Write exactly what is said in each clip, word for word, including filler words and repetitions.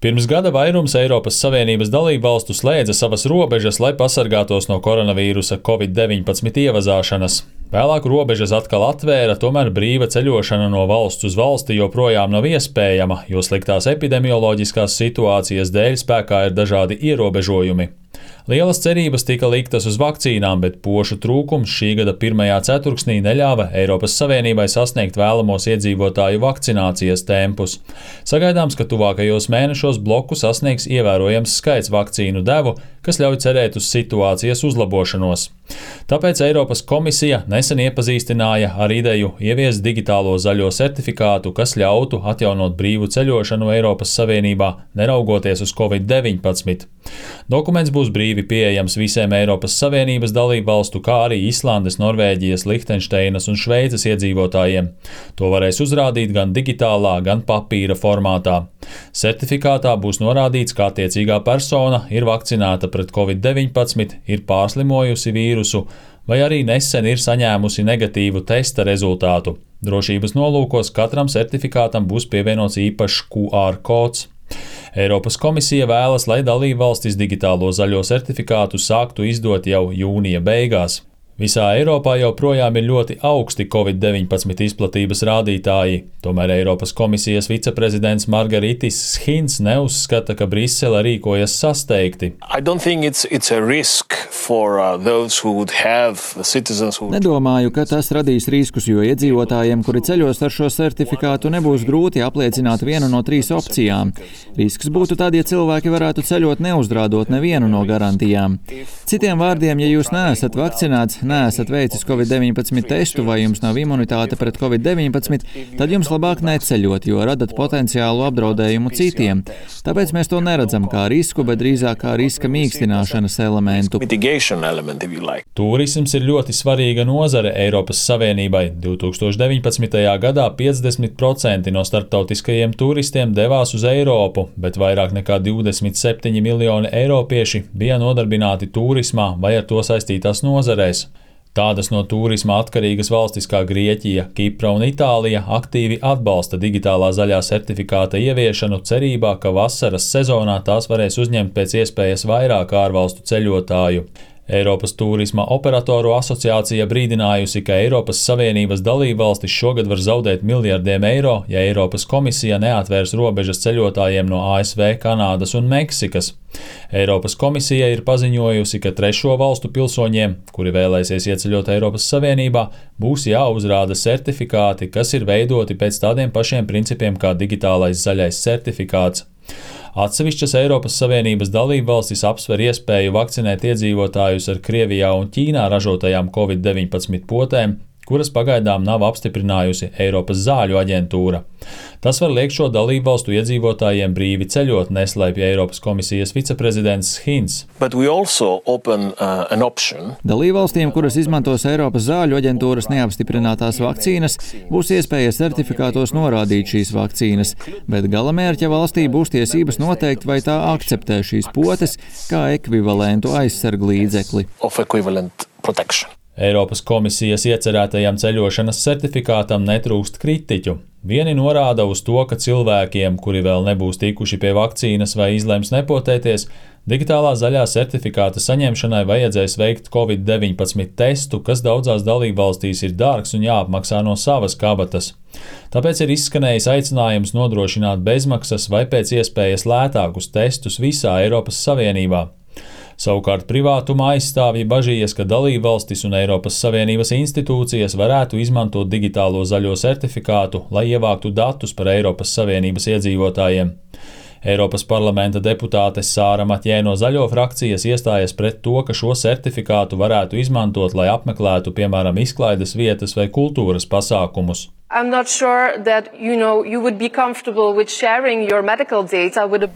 Pirms gada vairums Eiropas Savienības dalībvalstu slēdza savas robežas, lai pasargātos no koronavīrusa covid deviņpadsmit ievazāšanas. Vēlāk robežas atkal atvēra, tomēr brīva ceļošana no valsts uz valsti joprojām nav iespējama, jo sliktās epidemioloģiskās situācijas dēļ spēkā ir dažādi ierobežojumi. Lielas cerības tika liktas uz vakcīnām, bet pošu trūkums šī gada pirmajā ceturksnī neļāva Eiropas Savienībai sasniegt vēlamos iedzīvotāju vakcinācijas tempus. Sagaidāms, ka tuvākajos mēnešos bloku sasniegs ievērojams skaits vakcīnu devu, kas ļauj cerēt uz situācijas uzlabošanos. Tāpēc Eiropas komisija nesen iepazīstināja ar ideju ieviest digitālo zaļo certifikātu, kas ļautu atjaunot brīvu ceļošanu Eiropas Savienībā, neraugoties uz covid deviņpadsmit. Dokuments būs brīvi pieejams visiem Eiropas Savienības dalībvalstu, kā arī Islandes, Norvēģijas, Lihtenšteinas un Šveices iedzīvotājiem. To varēs uzrādīt gan digitālā, gan papīra formātā. Certifikātā būs norādīts, ka attiecīgā persona ir vakcinēta pret covid deviņpadsmit, ir pārslimojusi vīrusu vai arī nesen ir saņēmusi negatīvu testa rezultātu. Drošības nolūkos katram certifikātam būs pievienots īpašs Q R kods. Eiropas komisija vēlas, lai dalībvalstis digitālo zaļo certifikātu sāktu izdot jau jūnija beigās. Visā Eiropā joprojām ir ļoti augsti covid deviņpadsmit izplatības rādītāji, tomēr Eiropas komisijas viceprezidents Margaritis Schins neuzskata, ka Brisele rīkojas sasteigti. It's, it's for, uh, who... Nedomāju, ka tas radīs riskus, jo iedzīvotājiem, kuri ceļos ar šo certifikātu, nebūs grūti apliecināt vienu no trīs opcijām. Risks būtu tad, ja cilvēki varētu ceļot neuzrādot nevienu no garantijām. Citiem vārdiem, ja jūs neesat vakcinēts, neesat veicis covid deviņpadsmit testu vai jums nav imunitāte pret covid deviņpadsmit, tad jums labāk neceļot, jo radat potenciālu apdraudējumu citiem. Tāpēc mēs to neredzam kā risku, bet drīzāk kā riska mīkstināšanas elementu. Tūrisms ir ļoti svarīga nozare Eiropas Savienībai. divi tūkstoši deviņpadsmitajā gadā piecdesmit procenti no starptautiskajiem turistiem devās uz Eiropu, bet vairāk nekā divdesmit septiņi miljoni eiropieši bija nodarbināti tūrismā vai ar to saistītās nozarēs. Tādas no tūrisma atkarīgas valstis kā Grieķija, Kipra un Itālija aktīvi atbalsta digitālā zaļā certifikāta ieviešanu cerībā, ka vasaras sezonā tās varēs uzņemt pēc iespējas vairāk ārvalstu ceļotāju. Eiropas turisma operatoru asociācija brīdinājusi, ka Eiropas Savienības dalībvalstis šogad var zaudēt miljardiem eiro, ja Eiropas komisija neatvērs robežas ceļotājiem no A S V, Kanādas un Meksikas. Eiropas komisija ir paziņojusi, ka trešo valstu pilsoņiem, kuri vēlēsies ieceļot Eiropas Savienībā, būs jāuzrāda certifikāti, kas ir veidoti pēc tādiem pašiem principiem kā digitālais zaļais certifikāts. Atsevišķas Eiropas Savienības dalībvalstis apsver iespēju vakcinēt iedzīvotājus ar Krievijā un Ķīnā ražotajām covid deviņpadsmit potēm, kuras pagaidām nav apstiprinājusi Eiropas zāļu aģentūra. Tas var liekt šo dalībvalstu iedzīvotājiem brīvi ceļot, neslēpj Eiropas komisijas viceprezidents Schins. Open, uh, Dalībvalstīm, kuras izmantos Eiropas zāļu aģentūras neapstiprinātās vakcīnas, būs iespēja certifikātos norādīt šīs vakcīnas, bet galamērķa valstī būs tiesības noteikt, vai tā akceptē šīs potes kā ekvivalentu aizsarglīdzekli. Eiropas komisijas iecerētajam ceļošanas certifikātam netrūkst kritiķu. Vieni norāda uz to, ka cilvēkiem, kuri vēl nebūs tikuši pie vakcīnas vai izlems nepotēties, digitālā zaļā certifikāta saņemšanai vajadzēs veikt covid deviņpadsmit testu, kas daudzās dalībvalstīs ir dārgs un jāapmaksā no savas kabatas. Tāpēc ir izskanējis aicinājums nodrošināt bezmaksas vai pēc iespējas lētākus testus visā Eiropas Savienībā. Savukārt privātuma aizstāvji bažījies, ka dalībvalstis un Eiropas Savienības institūcijas varētu izmantot digitālo zaļo certifikātu, lai ievāktu datus par Eiropas Savienības iedzīvotājiem. Eiropas parlamenta deputāte Sāra Matjē no Zaļo frakcijas iestājas pret to, ka šo certifikātu varētu izmantot, lai apmeklētu, piemēram, izklaides vietas vai kultūras pasākumus. Sure that, you know, you would...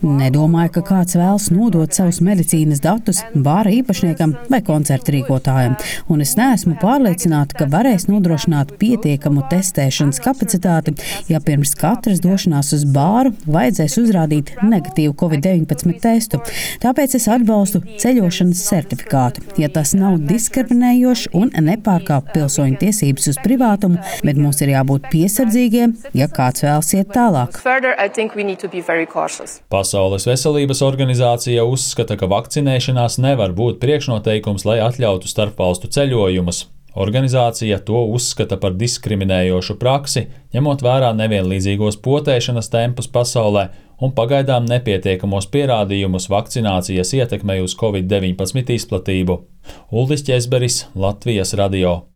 Nedomāju, ka kāds vēlas nodot savus medicīnas datus bāra īpašniekam vai koncertu rīkotājam, un es neesmu pārliecināta, ka varēs nodrošināt pietiekamu testēšanas kapacitāti, ja pirms katras došanās uz bāru vajadzēs uzrādīt negatīvu covid deviņpadsmit testu. Tāpēc es atbalstu ceļošanas certifikātu, ja tas nav diskriminējošs un nepārkāp pilsoņu tiesības uz privātumu, bet mums ir jābūt būt piesardzīgiem, ja kāds vēlas iet tālāk. Further, I think we need to be very cautious. Pasaules veselības organizācija uzskata, ka vakcinēšanās nevar būt priekšnoteikums, lai atļautu starpvalstu ceļojumus. Organizācija to uzskata par diskriminējošu praksi, ņemot vērā nevienlīdzīgos potēšanas tempus pasaulē un pagaidām nepietiekamos pierādījumus vakcinācijas ietekmei uz covid deviņpadsmit izplatību. Uldis Ķezberis, Latvijas radio.